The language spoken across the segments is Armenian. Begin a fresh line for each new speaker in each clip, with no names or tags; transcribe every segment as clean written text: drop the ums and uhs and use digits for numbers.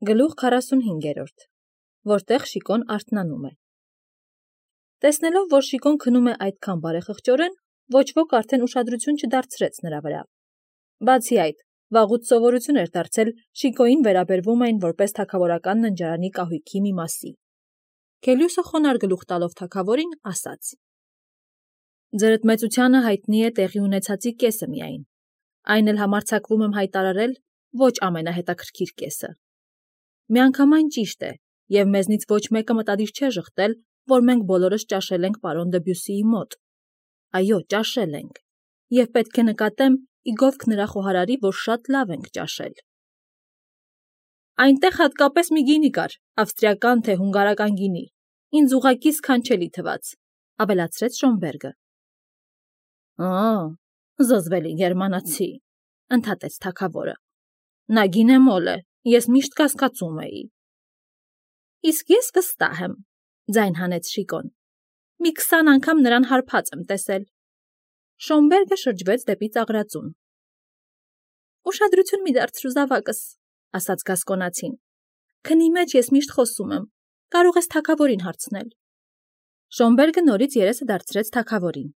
Գլուխ 45, որտեղ Շիկոն արթնանում է։ Տեսնելով, որ Շիկոն քնում է այդքան բարեխղճորեն, ոչ ոք արդեն ուշադրություն չդարձրեց նրա վրա։ Բացի այդ, վաղուց սովորություն էր դարձել Շիկոյին վերաբերվում էին որպես թագավորական ննջարանի կահույքի մի մասի։ Քելյուսը խոնար գլուխ տալով թագավորին ասաց. «Ձերդ մեծությանը հայտնի է տեղի ունեցածի կեսը միայն, այն էլ համարձակվում եմ հայտարարել ոչ ամենահետաքրքիր կեսը։ Միանգամայն ճիշտ է, և մեզնից ոչ մեկը մտադիր չէ ժխտել, որ մենք բոլորս ճաշել ենք պարոն Դեբյուսիի մոտ։ Այո, ճաշել ենք, և պետք է նկատեմ ի գովք նրա խոհարարի, որ շատ լավ ենք ճաշել»։ «Այնտեղ հատկապես մի գինի կար, ավստրիական թե հունգարական գինի, ինձ ուղղակի սքանչելի թվաց», ավելացրեց Շոնբերգը։ Զզվելի գերմանացի, ընդհատեց թագավորը։ Նա գինեմոլ է, ես միշտ կասկածում էի։ Իսկ ես վստահ եմ, ձայն հանեց Շիկոն։ Մի 20 անգամ նրան հարբած եմ տեսել։ Շոնբերգը շրջվեց դեպի ծաղրածուն։ Ուշադրություն մի դարձրու զավակս, ասաց գասկոնացին։ Քնի մեջ ես միշտ խոսում եմ, կարող ես թագավորին հարցնել։ Շոնբերգը նորից երեսը դարձրեց թագավորին։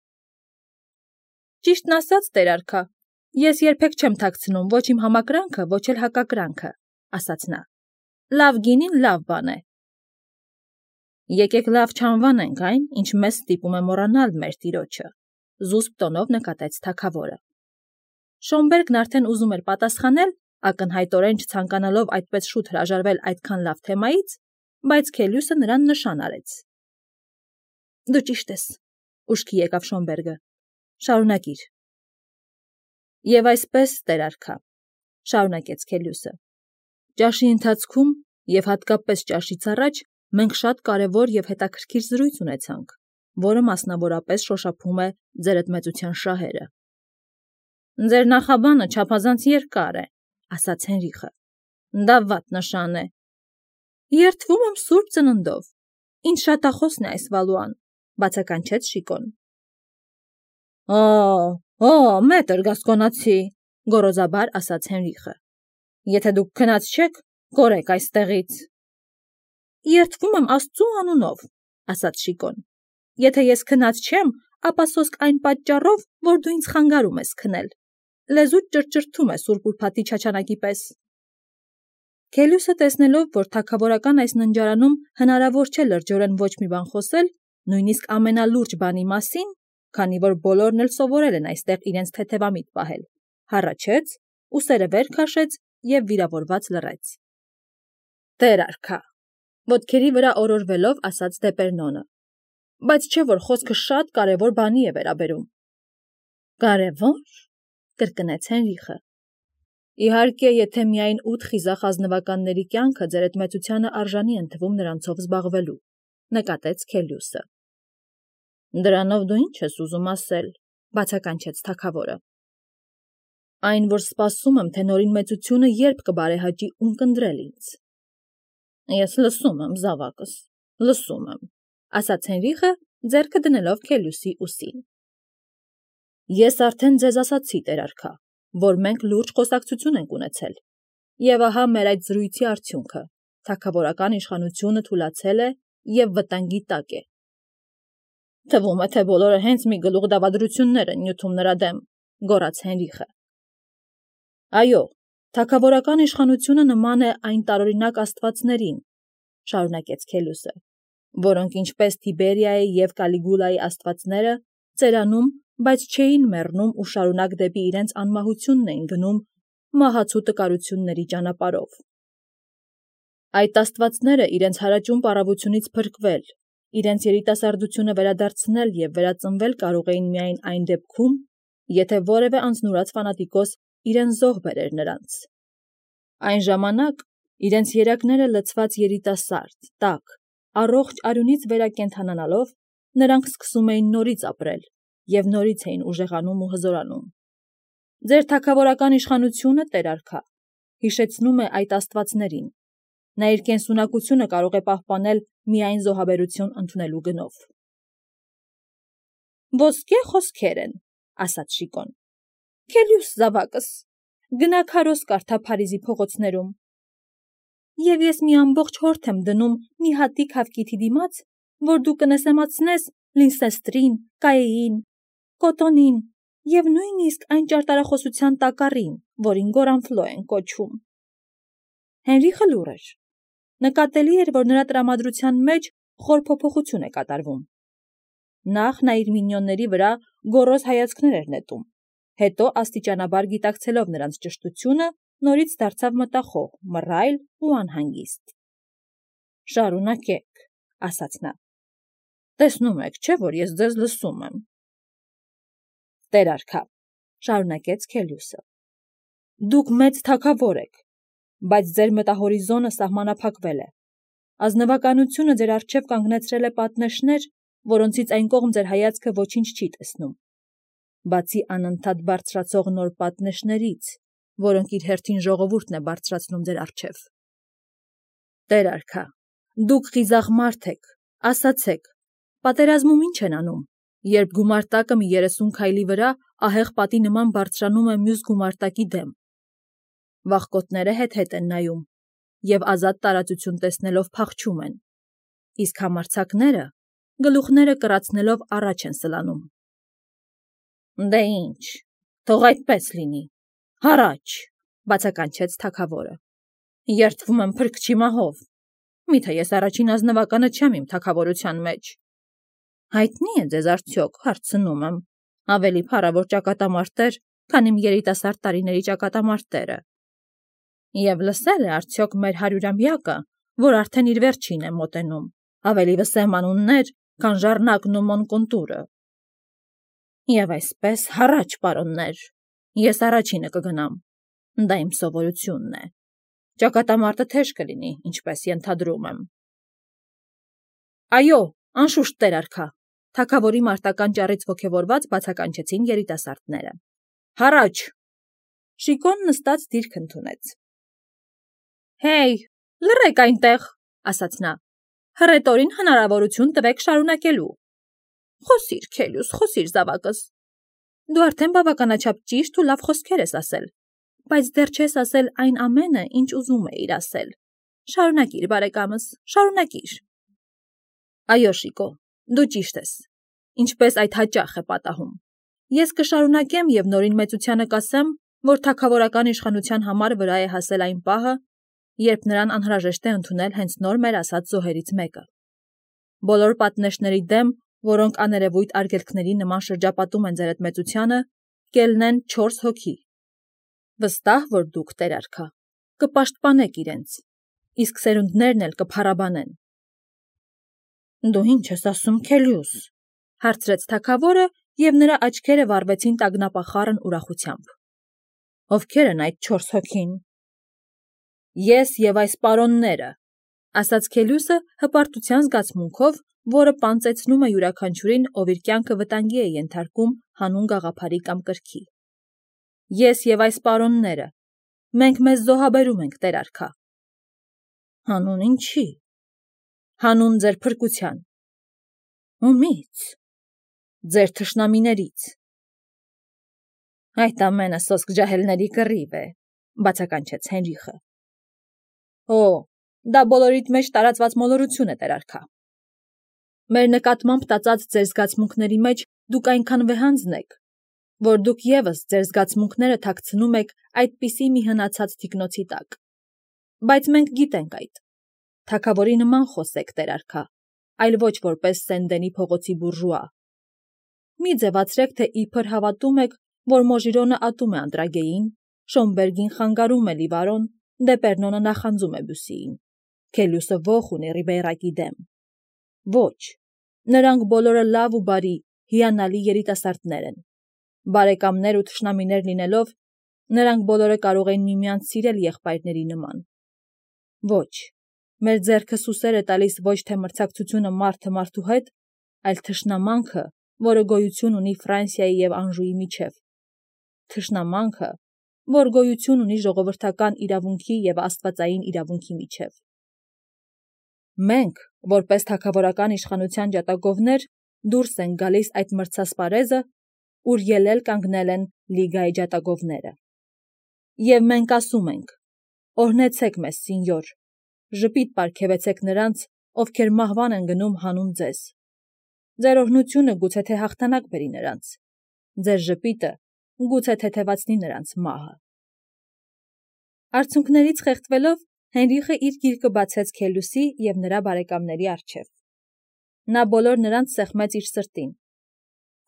Ճիշտն ասած, տեր արքա, ես երբեք չեմ թաքցնում ոչ իմ համակրանքը, ոչ էլ հակակրանքը, ասաց նա։ Լավ գինին լավ բան է։ Եկեք լավ չանվանենք այն, ինչ մեզ ստիպում է մոռանալ մեր տիրոջը, զուսպ տոնով նկատեց թագավորը։ Շոնբերգն արդեն ուզում էր պատասխանել, ակնհայտորեն չցանկանալով այդպես շուտ հրաժարվել այդքան լավ թեմայից, բայց Քելյուսը նրան նշան արեց։ Դու ճիշտ ես, ուշքի եկավ Շոնբերգը։ Շարունակիր։ Եվ այսպես, տեր արքա, շարունակեց Քելյուսը։ Ճաշի ընթացքում և հատկապես ճաշից առաջ մենք շատ կարևոր և հետաքրքիր զրույց ունեցանք, որը մասնավորապես շոշափում է ձերդ մեծության շահերը։ Ձեր նախաբանը չափազանց երկար է, ասաց Հենրիխը։ Դա վատ նշան է։ Երդվում եմ սուրբ ծննդով։ Ինչ շատախոսն է այս Վալուան, բացականչեց Շիկոն։ Մետր գասկոնացի, գոռոզաբար ասաց Հենրիխը։ Եթե դուք քնած չեք, կորեք այստեղից։ Երդվում եմ Աստծու անունով, ասաց Շիկոն։ Եթե ես քնած չեմ, ապա սոսկ այն պատճառով, որ դու ինձ խանգարում ես քնել։ Լեզուդ ճրճրթում է սուրբ ուրբաթի չաչանակի պես։ Քելյուսը տեսնելով, որ թագավորական այս ննջարանում հնարավոր չէ լրջորեն ոչ մի բան խոսել, նույնիսկ ամենալուրջ բանի մասին, քանի որ բոլորն էլ սովորել են այստեղ իրենց թեթևամիտ պահել, հառաչեց, ուսերը վեր քաշեց և վիրավորված լռեց։ Տեր արքա, ոտքերի վրա օրորվելով ասաց Դեպերնոնը, բայց չէ որ խոսքը շատ կարևոր բանի է վերաբերում։ Կարևո՞ր, կրկնեց Հենրիխը։ Իհարկե, եթե միայն 8 խիզախ ազնվականների կյանքը ձերդ մեծությանը արժանի են թվում նրանցով զբաղվելու, նկատեց Քելյուսը։ Դրանով դու ինչ ես ուզում ասել, բացականչեց թագավորը։ Այն, որ սպասում եմ, թե նորին մեծությունը երբ կբարեհաճի ունկնդրել ինձ։ Ես լսում եմ, զավակս, լսում եմ, ասաց Հենրիխը, ձեռքը դնելով Քելյուսի ուսին։ Ես արդեն ձեզ ասացի, տեր արքա, որ մենք լուրջ խոսակցություն ենք ունեցել, և ահա մեր այդ զրույցի արդյունքը, թագավորական իշխանությունը թուլացել է և վտանգի տակ է։ Թվում է, թե բոլորը հենց մի գլուխ դավադրություններ են նյութում նրա դեմ, գոռաց Հենրիխը։ Այո, թագավորական իշխանությունը նման է այն տարօրինակ աստվածներին, շարունակեց Քելյուսը, որոնք ինչպես Թիբերիայի և Կալիգուլայի աստվածները ծերանում, բայց չէին մեռնում ու շարունակ դեպի իրենց անմահությունն էին գնում մահացու տկարությունների ճանապարհով։ Այդ աստվածները իրենց հարաճուն պառավությունից փրկվել, իրենց երիտասարդությունը վերադարձնել և վերածնվել կարող էին միայն այն դեպքում, եթե որևէ անձնուրաց ֆանատիկոս իրեն զոհ բերեր նրանց։ Այն ժամանակ իրենց երակները լցված երիտասարդ, տաք, առողջ արյունից վերակենդանանալով, նրանք սկսում էին նորից ապրել և նորից էին ուժեղանում ու հզորանում։ Ձեր թագավորական իշխանությունը, տեր արքա, հիշեցնում է այդ աստվածներին։ Նա իր կենսունակությունը կարող է պահպանել միայն զոհաբերություն ընդունելու գնով։ Ոսկե խոսքեր են, ասաց Շիկոն։ Քելյուս զավակս, գնա քարոզ կարդա Փարիզի փողոցներում։ Եվ ես մի ամբողջ հորդ եմ դնում մի հատիկ հավկիթի դիմաց, որ դու կնեսեմացնես Լինսեստրին, Կայեին, Կոտոնին և նույնիսկ այն ճարտարախոսության տակառին, որին Գորանֆլո են կոչում։ Հենրիխը լուռ էր։ Նկատելի էր, որ նրա տրամադրության մեջ խոր փոփոխություն է կատարվում։ Նախ նա իր մինյոնների վրա գոռոզ հայացքներ էր նետում, հետո աստիճանաբար գիտակցելով նրանց ճշտությունը, նորից դարձավ մտախոհ, մռայլ ու անհանգիստ։ «Շարունակեք», ասաց նա։ «Տեսնում եք, չէ՞ որ ես ձեզ լսում եմ»։ «Տեր արքա», շարունակեց Քելիուսը, «դուք մեծ թագավոր եք, բայց ձեր մտահորիզոնը սահմանափակվել է։ Ազնվականությունը ձեր առջև կանգնեցրել է պատնեշներ, որոնցից այն կողմ ձեր հայացքը ոչինչ չի տեսնում, բացի անընդհատ բարձրացող նոր պատնեշներից, որոնք իր հերթին ժողովուրդն է բարձրացնում ձեր առջև։ Տեր արքա, դուք խիզախ մարդ եք, ասացեք, պատերազմում ինչ են անում, երբ գումարտակը մի 30 քայլի վրա ահեղ պատի նման բարձրանում է մյուս գումարտակի դեմ։ Վախկոտները հետ-հետ են նայում և ազատ տարածություն տեսնելով փախչում են, իսկ համարձակները գլուխները կռացնելով առաջ են սլանում։ Դե ինչ, թող այդպես լինի, հառաչ, բացականչեց թագավորը։ Երդվում եմ փրկչի մահով։ Միթե ես առաջին ազնվականը չեմ իմ թագավորության մեջ։ Հայտնի է ձեզ արդյոք, հարցնում եմ, ավելի փառավոր ճակատամարտեր, քան իմ երիտասարդ տարիների ճակատամարտերը։ Եվ լսել է արդյոք մեր 100-ամյակը, որ արդեն իր վերջին է մոտենում, ավելի վսեմ անուններ, քան Ժառնակն ու Մոնկոնտուրը։ Եվ այսպես, հառաչ, պարոններ, ես առաջինը կգնամ, դա իմ սովորությունն է։ Ճակատամարտը թեժ կլինի, ինչպես ենթադրում եմ։ Այո, անշուշտ, տեր արքա, թագավորի մարտական ճառից ոգևորված բացականչեցին երիտասարդները։ Հառաչ։ Շիկոն նստած դիրք ընդունեց։ Հեյ, լռեք այնտեղ, ասաց նա, հռետորին հնարավորություն տվեք շարունակելու։ Խոսիր, Քելիուս, խոսիր զավակս։ Դու արդեն բավականաչափ ճիշտ ու լավ խոսքեր ես ասել, բայց դեռ չես ասել այն ամենը, ինչ ուզում էիր ասել։ Շարունակիր, բարեկամս, շարունակիր։ Այո, Շիկո, դու ճիշտ ես, ինչպես այդ հաճախ է պատահում։ Ես կշարունակեմ և նորին մեծությանը կասեմ, որ թագավորական իշխանության համար վրա է հասել այն պահը, երբ նրան անհրաժեշտ է ընդունել հենց նոր մեր ասած զոհերից մեկը։ Բոլոր պատնեշների դեմ, որոնք աներևույթ արգելքների նման շրջապատում են ձեր այդ մեծությանը, կելնեն 4 հոգի։ Վստահ, որ դուք, տեր արքա, կպաշտպանեք իրենց, իսկ սերունդներն էլ կփառաբանեն։ Դու ինչ ես ասում, Քելիուս, հարցրեց թագավորը, և նրա աչքերը վառվեցին տագնապախառն ուրախությամբ։ Ովքեր են այդ 4 հոգին։ Ես և այս պարոնները, ասաց Քելիուսը հպարտության զգացմունքով, որը պանծեցնում է յուրաքանչյուրին, ով իր կյանքը վտանգի է ենթարկում հանուն գաղափարի կամ կրքի։ Ես և այս պարոնները, մենք մեզ զոհաբերում ենք, տեր արքա։ Հանուն ինչի։ Հանուն ձեր փրկության։ Ումի՞ց։ Ձեր թշնամիներից։ Այդ ամենը սոսկ ջահելների կռիվ է, բացականչեց Հենրիխը։ Օ, դա բոլորիդ մեջ տարածված մոլորություն է, տեր արքա։ Մեր նկատմամբ տածած ձեր զգացմունքների մեջ դուք այնքան վեհանձն եք, որ դուք ևս ձեր զգացմունքները թաքցնում եք այդպիսի մի հնացած թիկնոցի տակ։ Բայց մենք գիտենք այդ։ Թագավորի նման խոսեք, տեր արքա, այլ ոչ որպես Սեն-Դենի փողոցի բուրժուա։ Մի ձևացրեք, թե իբր հավատում եք, որ Մոժիրոնը ատում է Անդրագեին, Շոմբերգին խանգարում է Լիվարոն, Դեպերնոնը նախանձում է Բյուսիին, Քելիուսը ոխ ունի Ռիբեյրակի դեմ։ Ոչ, նրանք բոլորը լավ ու բարի, հիանալի երիտասարդներ են։ Բարեկամներ ու թշնամիներ լինելով, նրանք բոլորը կարող են միմյանց սիրել եղբայրների նման։ Ոչ, մեր ձեռքը սուսեր է տալիս ոչ թե մրցակցությունը մարդը մարդու հետ, այլ թշնամանքը, որը գոյություն ունի Ֆրանսիայի և Անժուի միջև։ Թշնամանքը, որ գոյություն ունի ժողովրդական իրավունքի և աստվածային իրավունքի միջև։ Մենք, որպես թագավորական իշխանության ջատագովներ, դուրս են գալիս այդ մրցասպարեզը, ուր ելել կանգնել են Լիգայի ջատագովները։ Եվ մենք ասում ենք. օրհնեցեք մեզ, սինյոր, ժպիտ պարգևեցեք նրանց, ովքեր մահվան են գնում հանուն ձեզ։ Ձեր օրհնությունը գուցե թե հաղթանակ բերի նրանց, ձեր ժպիտը գուցե թեթևացնի նրանց մահը։ Արցունքներից խեղդվելով Հենրիխը իր գիրկը բացեց Քելյուսի և նրա բարեկամների առջև։ Նա բոլոր նրանց սեղմեց իր սրտին։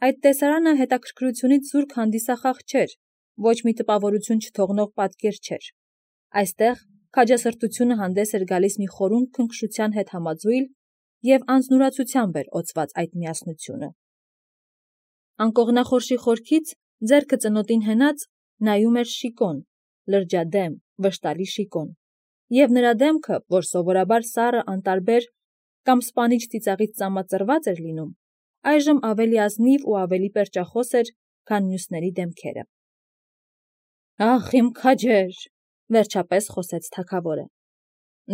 Այդ տեսարանը հետաքրքրությունից զուրկ հանդիսախաղ չէր, ոչ մի տպավորություն չթողնող պատկեր չէր։ Այստեղ քաջասրտությունը հանդես էր գալիս մի խորուն քնքշության հետ համաձուլ և անձնուրացությամբ էր օծված այդ միասնությունը։ Անկողնախորշի խորքից ձեռքը ծնոտին հենած նայում էր Շիկոն, լրջադեմ, վշտալի Շիկոն, և նրա դեմքը, որ սովորաբար սառը անտարբեր կամ սպանիչ ծիծաղից ծամածրված էր լինում, այժմ ավելի ազնիվ ու ավելի պերճախոս էր, քան մյուսների դեմքերը։ «Ախ, իմ քաջեր», վերջապես խոսեց թագավորը,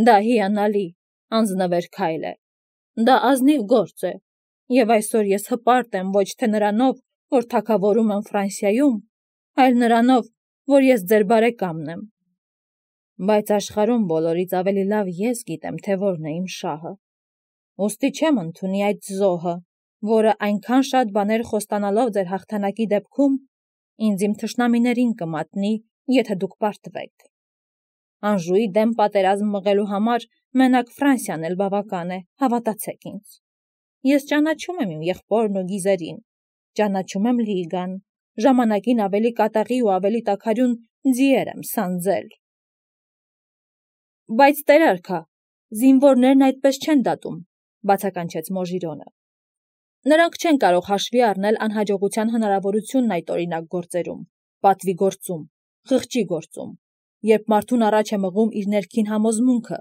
«դա հիանալի, անձնվեր քայլ է, դա ազնիվ գործ է, և այսօր ես հպարտ եմ ոչ թե նրանով, որ թագավորում եմ Ֆրանսիայում, այլ նրանով, որ ես ձեր բարեկամն եմ։ Բայց աշխարհում բոլորից ավելի լավ ես գիտեմ, թե որն է իմ շահը։ Ուստի չեմ ընդունի այդ զոհը, որը այնքան շատ բաներ խոստանալով ձեր հաղթանակի դեպքում ինձ իմ թշնամիներին կմատնի, եթե դուք պարտվեք։ Անժուի դեմ պատերազմ մղելու համար մենակ Ֆրանսիան էլ բավական է, հավատացեք ինձ։ Ես ճանաչում եմ իմ եղբորն ու գիզերին, ճանաչում եմ Լիգան, ժամանակին ավելի կատաղի ու ավելի տաքարյուն ձիեր եմ սանձել։ Բայց տերարքա, զինվորներն այդպես չեն դատում, բացականչեց Մոժիրոնը։ Նրանք չեն կարող հաշվի առնել անհաջողության հնարավորությունն այդ օրինակ գործերում, պատվի գործում, խղճի գործում, երբ մարդուն առաջ է մղում իր ներքին համոզմունքը,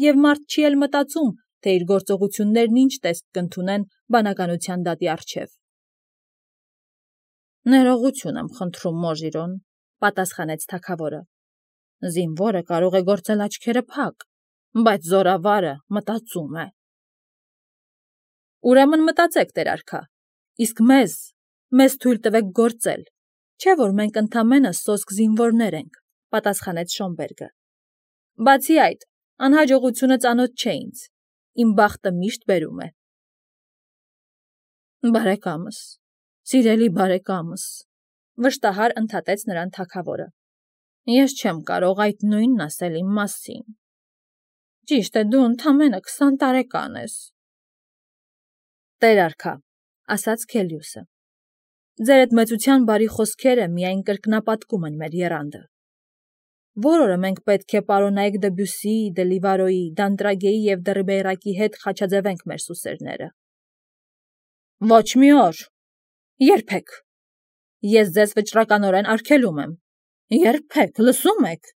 և մարդ չի էլ մտածում, թե իր գործողություններն ինչ տեսք կընդունեն բանականության դատի առջև։ Ներողություն եմ խնդրում, Մոժիրոն, պատասխանեց թագավորը։ Զինվորը կարող է գործել աչքերը փակ, բայց զորավարը մտածում է։ Ուրեմն մտածեք, տերարքա, իսկ մեզ թույլ տվեք գործել, չէ՞ որ մենք ընդամենը սոսկ զինվորներ ենք, պատասխանեց Շոմբերգը։ Բացի այդ, անհաջողությունը ծանոթ չէ ինձ, իմ բախտը միշտ բերում է։ Բարեկամս, սիրելի բարեկամս, վշտահար ընդհատեց նրան թագավորը։ Ես չեմ կարող այդ նույնն ասել իմ մասին։ Ճիշտ է, դու ընդամենը 20 տարեկան ես։ Տերարքա, ասաց Քելյուսը, ձեր այդ մեծության բարի խոսքերը միայն կրկնապատկում են մեր եռանդը։ Որ օրը մենք պետք է պարոնայք Դեբյուսի, Դելիվարոյի, Դանտրագեի և Դերբեյրակի հետ խաչաձևենք մեր սուսերները։ Ոչ մի օր։ Երբեք։ Ես ձեզ վճռականորեն արգելում եմ։ Երբեք, լսում եք։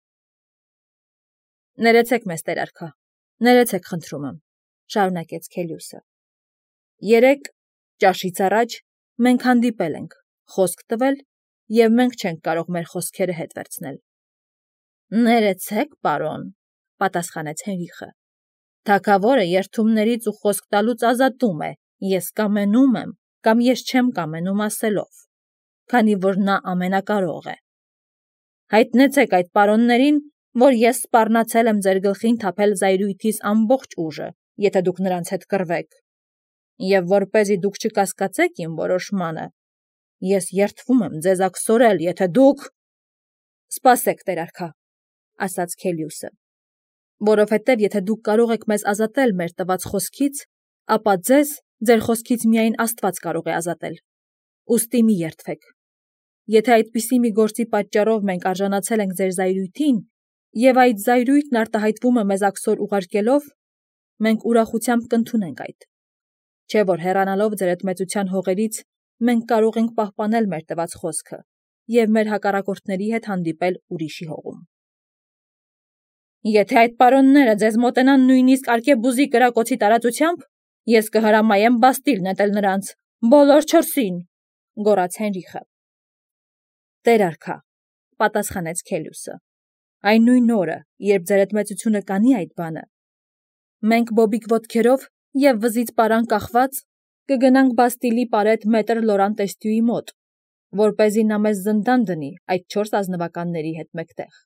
Ներեցեք մեզ, տերարքա, ներեցեք խնդրում եմ, շարունակեց Քելյուսը։ Երեկ ճաշից առաջ մենք հանդիպել ենք, խոսք տվել, և մենք չենք կարող մեր խոսքերը հետ վերցնել։ Ներեցեք, պարոն, պատասխանեց Հենրիխը։ Թագավորը երդումներից ու խոսք տալուց ազատում է, ես կամենում եմ, կամ ես չեմ կամենում ասելով, քանի որ նա ամենակարող է։ Հայտնեցեք այդ պարոններին, որ ես սպառնացել եմ ձեր գլխին թափել զայրույթիս ամբողջ ուժը, եթե դուք նրանց հետ կռվեք։ Եվ որպեսզի դուք չկասկածեք իմ որոշմանը, ես երդվում եմ ձեզ աքսորել, եթե դուք… Սպասեք, տերարքա, ասաց Քելյուսը, որովհետև եթե դուք կարող եք մեզ ազատել մեր տված խոսքից, ապա ձեզ ձեր խոսքից միայն Աստված կարող է ազատել։ Ուստի մի երդվեք։ Եթե այդպիսի մի գործի պատճառով մենք արժանացել ենք ձեր զայրույթին, և այդ զայրույթն արտահայտվում է մեզ աքսոր ուղարկելով, մենք ուրախությամբ կընդունենք այդ։ Չէ՞ որ հեռանալով ձեր այդ մեծության հողերից, մենք կարող ենք պահպանել մեր տված խոսքը և մեր հակառակորդների հետ հանդիպել ուրիշի հողում։ Եթե այդ պարոնները ձեզ մոտենան նույնիսկ Արկեբուզի կրակոցի տարածությամբ, ես կհրամայեմ Բաստիլ նետել նրանց, բոլոր 4-ին, գոռաց Հենրիխը։ Տերարքա, պատասխանեց Քելյուսը, այն նույն օրը, երբ ձեր այդ մեծությունը կանի այդ բանը, մենք բոբիկ ոտքերով և վզից պարան կախված կգնանք Բաստիլի պարետ մետր Լորան տեստյուի մոտ, որպեսզի նա մեզ զնդան դնի այդ 4 ազնվականների հետ մեկտեղ։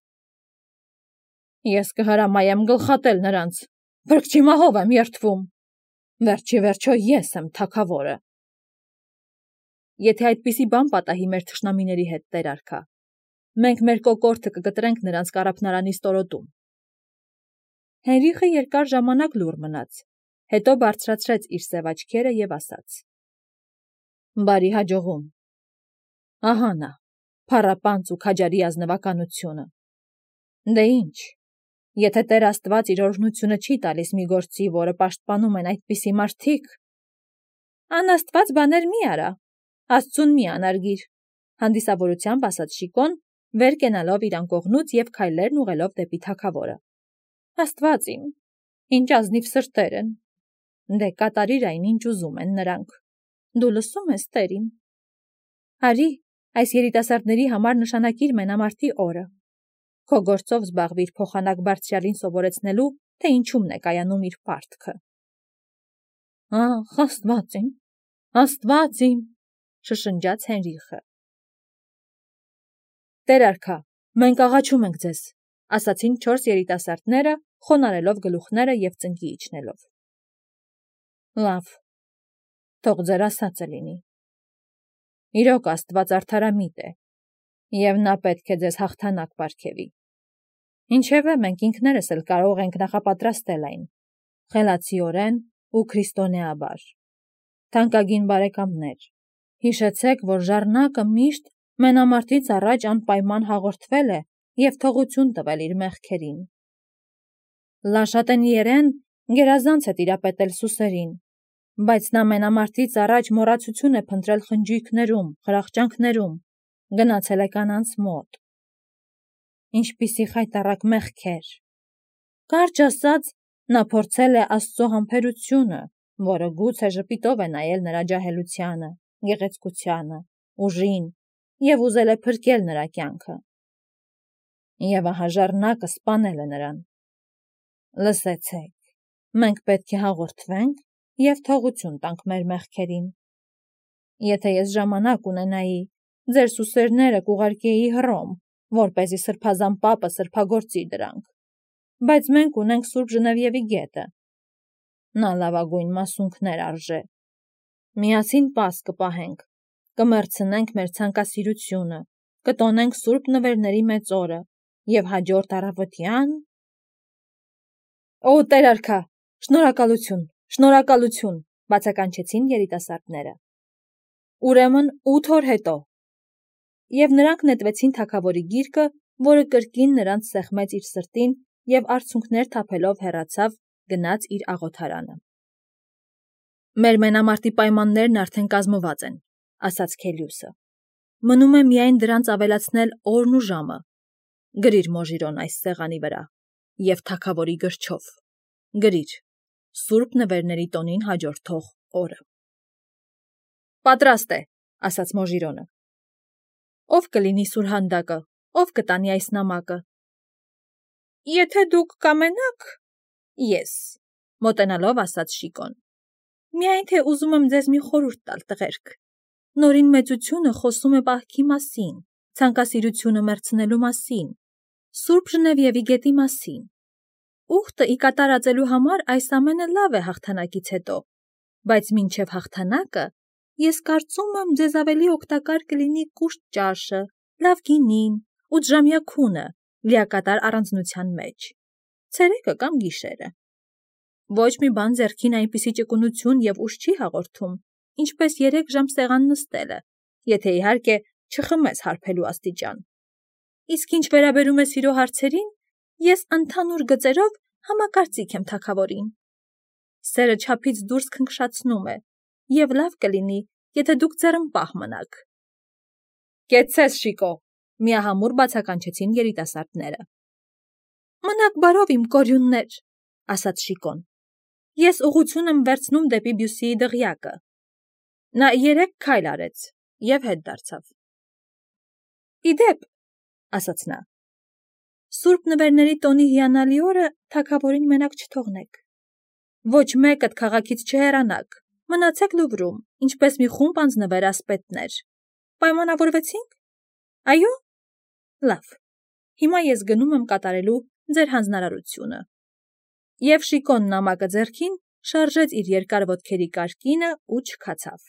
Ես կհրամայեմ գլխատել նրանց, փրկչի մահով եմ երդվում, վերջի վերջո ես եմ թագավորը։ Եթե այդպիսի բան պատահի մեր թշնամիների հետ, տեր արքա, մենք մեր կոկորդը կգտրենք նրանց կառափնարանի ստորոտում։ Հենրիխը երկար ժամանակ լուռ մնաց, հետո բարձրացրեց իր սև աչքերը և ասաց. Բարի հաջողում։ Ահա նա, փառապանծ ու քաջարի ազնվականությունը։ Դե ինչ, եթե Տեր Աստված իր օրհնությունը չի տալիս մի գործի, որը պաշտպանում են այդպիսի մարդիկ, անաստված բաներ մի արա, Աստծուն մի անարգիր, հանդիսավորությամբ ասաց Շիկոն, վեր կենալով իր անկողնուց և քայլերն ուղղելով դեպի թագավորը։ Աստված իմ, ինչ ազնիվ սրտեր են։ Դե կատարիր այն, ինչ ուզում են նրանք։ Դու լսում ես, Տեր իմ։ Արի, այս երիտասարդների համար նշանակիր մենամարտի օրը։ Քո գործով զբաղվիր փոխանակ բարձրյալին սովորեցնելու, թե ինչումն է կայանում իր պարտքը։ Ախ, Աստված իմ, շշնջաց Հենրիխը։ Տեր արքա, մենք աղաչում ենք ձեզ, ասացին 4 երիտասարդները, խոնարելով գլուխները և ծնկի իջնելով։ Լավ, թող ձեր ասածը լինի։ Իրոք Աստված արդարամիտ է, և նա պետք է ձեզ հաղթանակ պարգևի։ Ինչևէ, մենք ինքներս էլ կարող ենք նախապատրաստել այն, խելացիորեն ու քրիստոնեաբար։ Թանկագին բարեկամներ, հիշեցեք, որ ժառնակը միշտ մենամարտից առաջ անպայման հաղորդվել է և թողություն տվել իր մեղքերին։ Լաշատենիերեն գերազանց է տիրապետել սուսերին, բայց նա մենամարտից առաջ մոռացություն է փնտրել խնջույքներում, խրախճանքներում, գնացել է կանանց մոտ։ Ինչպիսի խայտառակ մեղքեր։ Կարճ ասած, նա փորձել է Աստծո համբերությունը, որը գուցե ժպիտով է նայել նրա ջահելությանը, գեղեցկությանը, ուժին և ուզել է փրկել նրա կյանքը։ Եվ ահա ժառնակը սպանել է նրան։ Լսեցեք, մենք պետք է հաղորդվենք և թողություն տանք մեր մեղքերին։ Եթե ես ժամանակ ունենայի, ձեր սուսերները կուղարկեի Հռոմ, որպեսզի սրբազան պապը սրբագործի դրանք, բայց մենք ունենք Սուրբ Ժնևիևի գետը։ Նա լավագույն մասունքներ արժե։ Միասին պաս կպահենք, կմեռցնենք մեր ցանկասիրությունը, կտոնենք Սուրբ Նվերների մեծ օրը և հաջորդ առավոտյան… Օ, Տեր արքա, շնորհակալություն, շնորհակալություն, բացականչեցին երիտասարդները։ Ուրեմն 8 օր հետո։ Եվ նրանք նետվեցին թագավորի գիրկը, որը կրկին նրանց սեղմեց իր սրտին և արցունքներ թափելով հեռացավ, գնաց իր աղոթարանը։ Մեր մենամարտի պայմաններն արդեն կազմված են, ասաց Քելիուսը։ Մնում է միայն դրանց ավելացնել օրն ու ժամը։ Գրիր Մոժիրոն այս սեղանի վրա և թագավորի գրչով։ Գրիր. Սուրբ Նվերների տոնին հաջորդող օրը։ Պատրաստ է, ասաց Մոժիրոնը։ Ով կլինի սուրհանդակը, ով կտանի այս նամակը։ Եթե դուք կամենաք, ես, մոտենալով ասաց Շիկոն։ Միայն թե ուզում եմ ձեզ մի խորհուրդ տալ, տղերք։ Նորին մեծությունը խոսում է պահքի մասին, ցանկասիրությունը մեռցնելու մասին, Սուրբ Ժնևիևի գետի մասին։ Ուխտը ի կատարածելու համար այս ամենը լավ է հաղթանակից հետո, բայց մինչև հաղթանակը ես կարծում եմ ձեզ ավելի օգտակար կլինի կուշտ ճաշը, լավ գինին, 8-ժամյա քունը, լիակատար առանձնության մեջ, ցերեկը կամ գիշերը։ Ոչ մի բան ձեռքին այնպիսի ճկունություն և ուժ չի հաղորդում, ինչպես 3 ժամ սեղան նստելը, եթե իհարկե չխմես հարբելու աստիճան։ Իսկ ինչ վերաբերում է սիրո հարցերին, ես ընդհանուր գծերով համակարծիք եմ թագավորին։ Սերը չափից դուրս քնքշացնում է, և լավ կլինի, եթե դուք ձեռնպահ մնաք։ Կեցցես, Շիկո, միահամուռ բացականչեցին երիտասարդները։ Մնաք բարով, իմ կորյուններ, ասաց Շիկոն։ Ես ուղղություն եմ վերցնում դեպի Բյուսիի դղյակը։ Նա 3 քայլ արեց և հետ դարձավ։ Իդեպ, ասաց նա, Սուրբ Նվերների տոնի հիանալի օրը թագավորին մենակ չթողնեք։ Ոչ մեկդ քաղաքից չհեռանաք, մնացեք Լուվրում, ինչպես մի խումբ անձնվեր ասպետներ։ Պայմանավորվեցինք։ Այո։ Լավ։ Հիմա ես գնում եմ կատարելու ձեր հանձնարարությունը։ Եվ Շիկոն նամակը ձեռքին շարժեց իր երկար ոտքերի կարկինը ու չքացավ։